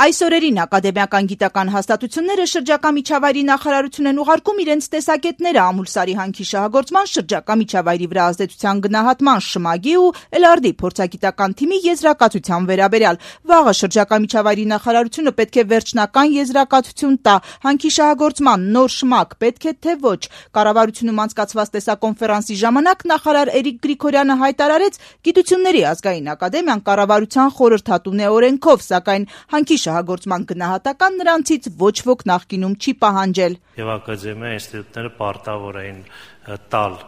Այս օրերին ակադեմիական գիտական հաստատությունները շրջակա միջավայրի նախարարություն են ուղարկում իրենց տեսակետները Ամուլսարի հանքի շահագործման շրջակա միջավայրի վրա ազդեցության գնահատման շմագի ու ԵԼԱՐԴ-ի փորձագիտական թիմի եզրակացության վերաբերյալ։ Վաղը շրջակա միջավայրի նախարարությունը պետք է վերջնական եզրակացություն տա հանքի շահագործման նոր շմակ պետք է թե ոչ։ Կառավարությունում անցկացված տեսակոնֆերանսի ժամանակ նախարար Էրիկ Գրիգորյանը հայտարարեց, Գիտությունների ազգային ակադեմիան կառավարության խորհրդատուն է օրենքով, սակայն հանքի շահագործման գնահատական նրանցից ոչ ոք նախկինում չի պահանջել։ Եվ ակադեմիա ինստիտուտները պարտավոր էին տալ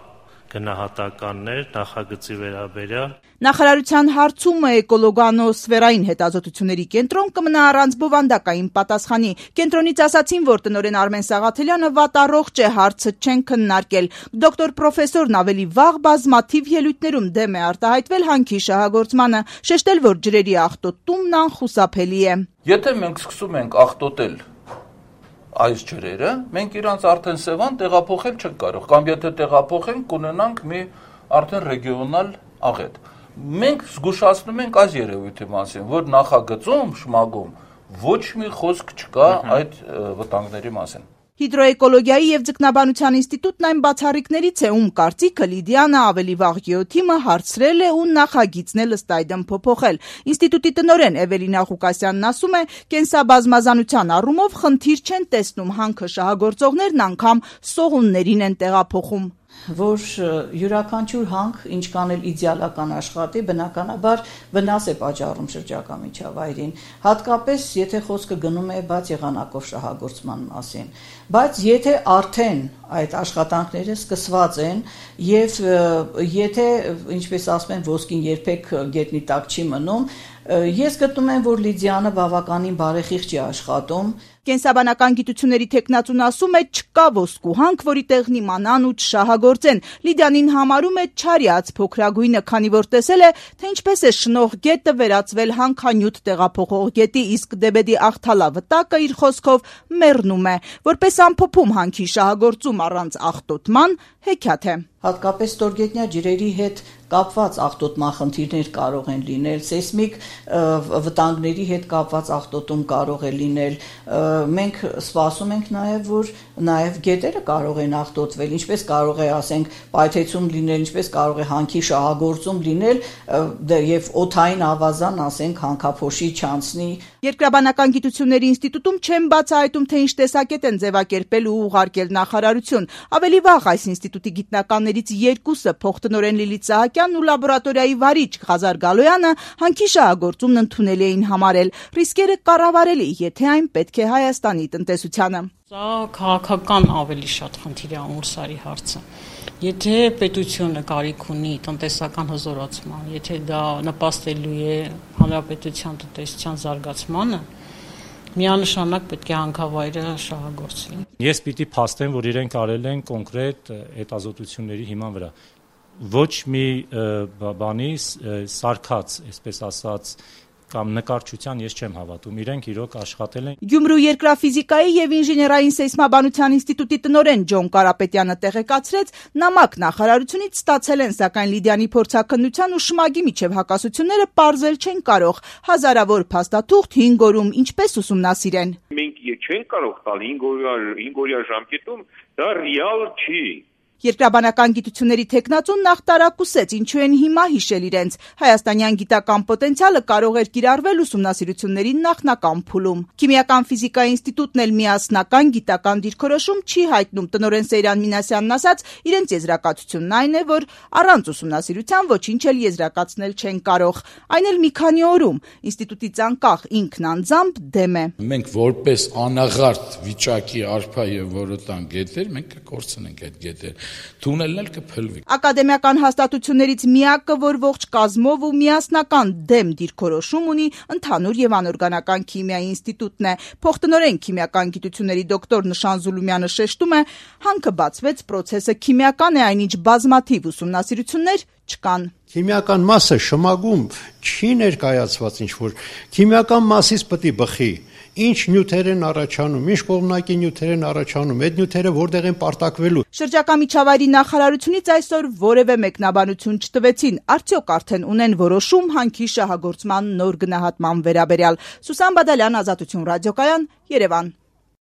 գնահատականներ նախագծի վերաբերյալ։ Նախարարության հարցումը էկոլոգանոսֆերային հետազոտությունների կենտրոն կմնա առանց բովանդակային պատասխանի։ Կենտրոնից ասացին, որ տնօրեն Արմեն Սաղաթելյանը վատառողջ է, հարցը չեն քննարկել։ Դոկտոր պրոֆեսորն ավելի վաղ բազմաթիվ ելույթներում դեմ է արտահայտվել հանքի շահագործմանը, շեշտել, որ ջրերի աղտոտումն անխուսափելի է։ Եթե մենք սկսում ենք աղտոտել այս ջրերը, մենք իրանց արդեն Սևան տեղափոխել չենք կարող, կամ եթե տեղափոխենք, կունենանք մի արդեն ռեգիոնալ աղետ։ Մենք զգուշացնում ենք այս երևույթի մասին, որ նախագծում, շմագում ոչ մի խոսք չկա այդ վտանգների մասին։ Հիդրոէկոլոգիայի և ձկնաբանության ինստիտուտն այն բացառիկներից է, ում կարծիքը Լիդիանը ավելի վաղ ԳԵՕ-թիմը հարցրել է ու նախագիծն էլ ըստ այդմ փոփոխել։ Ինստիտուտի տնօրեն Էվելինա Ղուկասյանն ասում է, կենսաբազմազանության առումով խնդիր չեն տեսնում, հանքը շահագործողներն անգամ սողուններին են տեղափոխում։ Որ յուրաքանչյուր հանք, ինչքան էլ իդեալական աշխատի, բնականաբար վնաս է պատճառում շրջակա միջավայրին, հատկապես եթե խոսքը գնում է բաց եղանակով շահագործման մասին, բայց եթե արդեն այդ աշխատանքները սկսված են եւ եթե, ինչպես ասում են, ոսկին երբեք գետնի տակ չի մնում, ես գտնում եմ, որ Լիդիանը բավականին բարեխիղճ է աշխատում։ Կենսաբանական գիտությունների թեկնածուն ասում է, չկա ոսկու հանք, որի տեղն իմանան ու չշահագործեն։ Լիդիանին համարում է չարյաց փոքրագույնը, քանի որ տեսել է, թե ինչպես է շնող գետը վերածվել հանքանյութ տեղափոխող գետի, իսկ Դեբեդի աղթալա վտակը իր խոսքով մեռնում է, որպես ամփոփում հանքի շահագործում առանց աղտոտման հեքիաթ է։ Հատկապես ստորգետնյա ջրերի հետ կապված աղտոտման խնդիրներ կարող են լինել, սեյսմիկ վտանգների հետ կապված աղտոտում կարող է լինել։ Մենք սպասում ենք նաև, որ նաև գետերը կարող են աղտոտվել, ինչպես կարող է, ասենք, պայթեցում լինել, ինչպես կարող է հանքի շահագործում լինել եւ օդային ավազան, ասենք, հանքափոշի չանցնի։ Երկրաբանական գիտությունների ինստիտուտում չեն բացահայտում, թե ինչ տեսակետ են ձևակերպել ու ուղարկել նախարարություն։ Ավելի վաղ այս ինստիտուտի գիտնականներից երկուսը, փոխտնօրեն Լիլիթ Սահակյանն ու լաբորատորիայի վարիչ Ղազար Գալոյանը, հանքի շահագործումն ընդունելի էին համարել։ Ռիսկերը կառավարելի, եթե այն պետք է Հայաստանի տնտեսությանը։ Սա քաղաքական ավելի շատ խնդիր է Ամուլսարի հարցը։ Եթե պետությունը կարիք ունի տնտեսական հզորացման, եթե դա նպաստելու է հանրապետության տնտեսության զարգացմանը, միանշանակ պետք է հանքավայրը շահագործվի։ Ես պիտի փաստեմ, որ իրենք արել են կոնկրետ հետազոտությունների հիման վրա։ Ոչ մի բանի սարքած, այսպես ասած, կամ նկարչության ես չեմ հավատում, իրենք իրոք աշխատել են։ Գյումրու երկրաֆիզիկայի եւ ինժեներային սեյսմաբանության ինստիտուտի տնօրեն Ջոն Կարապետյանը տեղեկացրեց, նամակ նախարարությունից ստացել են, սակայն Լիդիանի փորձաքննության ու շմագի միջև հակասությունները պարզել չեն կարող։ Հազարավոր փաստաթուղթ 5 օրում ինչպես ուսումնասիրեն։ Մենք չենք կարող տալ 5 օրյա ժամկետում, դա ռեալ չի։ Երկրաբանական գիտությունների թեկնածուն նախ տարակուսեց, ինչու են հիմա հիշել իրենց։ Հայաստանյան գիտական պոտենցիալը կարող էր կիրառվել ուսումնասիրությունների նախնական փուլում։ Քիմիական ֆիզիկայի ինստիտուտն էլ միասնական գիտական դիրքորոշում չի հայտնում։ Տնօրեն Սեյրան Մինասյանն ասաց, իրենց եզրակացությունն այն է, որ առանց ուսումնասիրության ոչինչ էլ եզրակացնել չեն կարող։ Այն էլ մի քանի օրում։ Ինստիտուտից անկախ ինքն անձամբ դեմ է։ Մենք որպես անաղարտ վիճակի արփա եւ որոտան գետեր, մենք կկորցնենք այդ գետերը։ Թունելն էլ կփլվի։ Ակադեմիական հաստատություններից միակը, որ ողջ կազմով ու միասնական դեմ դիրքորոշում ունի, ընդհանուր եւ անօրգանական քիմիայի ինստիտուտն է։ Փոխտնօրեն քիմիական գիտությունների դոկտոր Նշան Զուլումյանը շեշտում է, հանքը բացվեց, պրոցեսը քիմիական է, այնինչ բազմաթիվ ուսումնասիրություններ չկան։ Քիմիական մասը շմագում չի ներկայացված ինչ-որ քիմիական մասից պետք է բխի։ ինչ նյութեր են առաջանում, ինչ կողմնակի նյութեր են առաջանում, այդ նյութերը որտեղ են պարտակվելու։ Շրջակա միջավայրի նախարարությունից այսօր որևէ մեկնաբանություն չտվեցին, արդյոք արդեն ունեն որոշում հանքի շահագործման նոր գնահատման վերաբերյալ։ Սուսան Բադալյան, Ազատություն ռադիոկայան, Երևան։